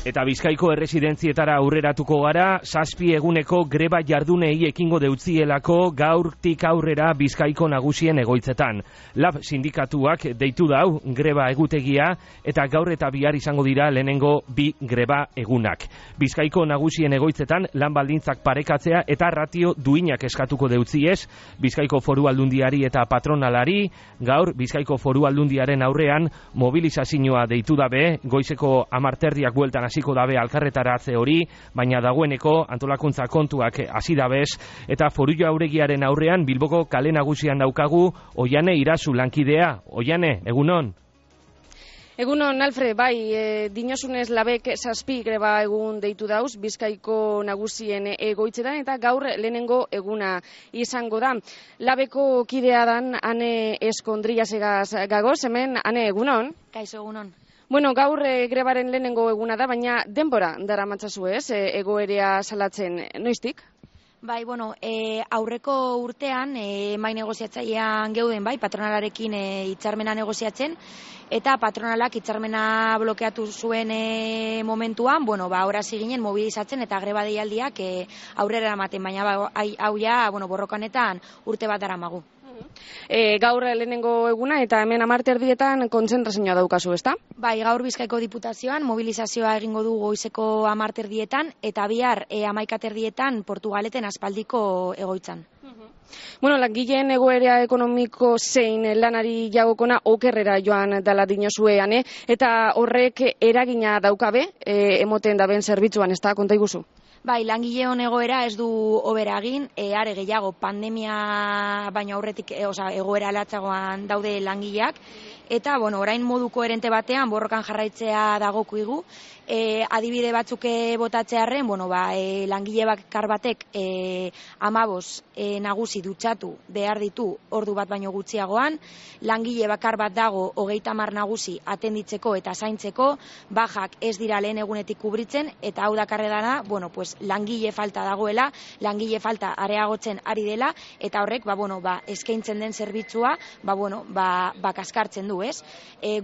Eta Bizkaiko erresidentzietara aurreratuko gara, 7 eguneko greba jardunei ekingo deutzielako gaurtik aurrera Bizkaiko nagusien egoitzetan. Lab sindikatuak deitu dau greba egutegia eta gaur eta bihar izango dira lehenengo 2 greba egunak. Bizkaiko nagusien egoitzetan lan baldintzak parekatzea eta ratio duinak eskatuko deutziez, Bizkaiko Foru Aldundiari eta patronalari, gaur Bizkaiko Foru Aldundiaren aurrean mobilizazioa deitu dabe, goizeko 10:00 bueltan hasiko dabe alkarretaratze hori, baina dagoeneko antolakuntza kontuak hasi dabez, eta Foru Jauregiaren aurrean Bilboko kale nagusian daukagu Oiane Irazu lankidea. Oiane, egunon? Egunon, Alfred, bai, dinosunez labek 7 greba egun deitu dauz, Bizkaiko nagusien egoitzetan, eta gaur lehenengo eguna izango da. Labeko kidea dan, Ane Eskondriasegaz gagoz, hemen, Ane, egunon? Kaixo, egunon. Bueno, gaur grebaren lehenengo eguna da, baina denbora dara matzazu ez, egoerea salatzen noiztik? Bai, bueno, aurreko urtean mai negoziatzailean geuden, bai, patronalarekin hitzarmena negoziatzen, eta patronalak hitzarmena blokeatu zuen momentuan, bueno, ora ginen mobilizatzen eta greba deialdiak aurrera eramaten, baina hau ja, bueno, borrokanetan urte bat daramagu. Gaur lehenengo eguna eta hemen 10:00 kontzentrazioa daukazu, ezta? Bai, gaur Bizkaiko Diputazioan mobilizazioa egingo du goizeko 10:00 eta bihar 11:00 Portugaleten aspaldiko egoitzan. Bueno, langileen egoera ekonomiko zein lanari jagokona okerrera joan dala dinozuean, eta horrek eragina daukabe, emoten daben zerbitzuan, ezta, konta iguzu? Bai, langileon egoera ez du hobera egin, are gehiago pandemia baino aurretik, egoera latzagoan daude langileak, eta, bueno, orain modu koherente batean borrokan jarraitzea dagokigu, adibide batzuk botatzearren, bueno, langile bakar batek 15 nagusi dutxatu behar ditu ordu bat baino gutxiagoan, langile bakar bat dago 30 nagusi atenditzeko eta zaintzeko, bajak ez dira lehen egunetik kubritzen, eta hau dakarre dana, bueno, pues langile falta dagoela, langile falta areagotzen ari dela, eta horrek, eskaintzen den zerbitzua, kaskartzen du, ez?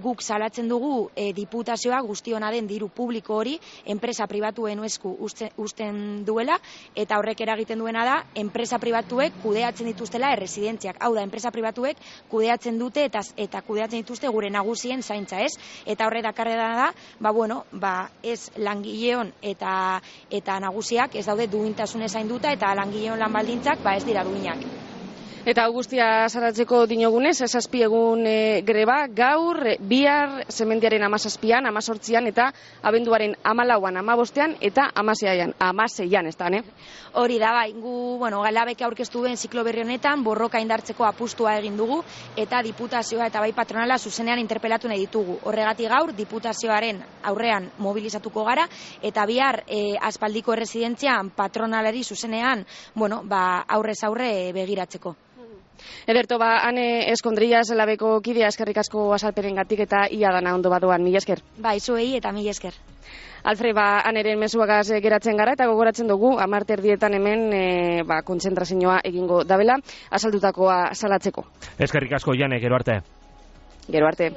Guk salatzen dugu diputazioa guztiona den diru publiko hori enpresa pribatuen esku uzten duela, eta horrek eragiten duena da enpresa pribatuek kudeatzen dituztela erresidentziak. Hau da, enpresa pribatuek kudeatzen dute eta kudeatzen dituzte gure nagusien zaintza, ez? Eta horre dakarrera da, ez langileon eta nagusiak ez daude duintasunez zainduta, eta langileon lan baldintzak ez dira duinak. Eta guztia salatzeko dinogunez, 7 egun greba, gaur, bihar, semendiaren 17an, 18an, eta abenduaren 14an, 15an, eta 16an, ez da, ne? Hori da, bai, labek aurkeztu duen ziklo berri honetan, borroka indartzeko apustua egin dugu, eta diputazioa eta bai patronala zuzenean interpelatu nahi ditugu. Horregatik gaur, diputazioaren aurrean mobilizatuko gara, eta bihar aspaldiko erresidentzian patronalari zuzenean, aurrez aurre begiratzeko. Ederto, Ane Eskondrias labeko kidea, eskerrik asko azalperengatik eta ia dana ondo badoan, mila esker. Bai, zuei eta mila esker. Alfred, Aneren mezuagaz geratzen gara eta gogoratzen dugu 10:00 hemen kontzentrazioa egingo dabela, azaldutakoa salatzeko. Eskerrik asko, Jane, gero arte. Gero arte.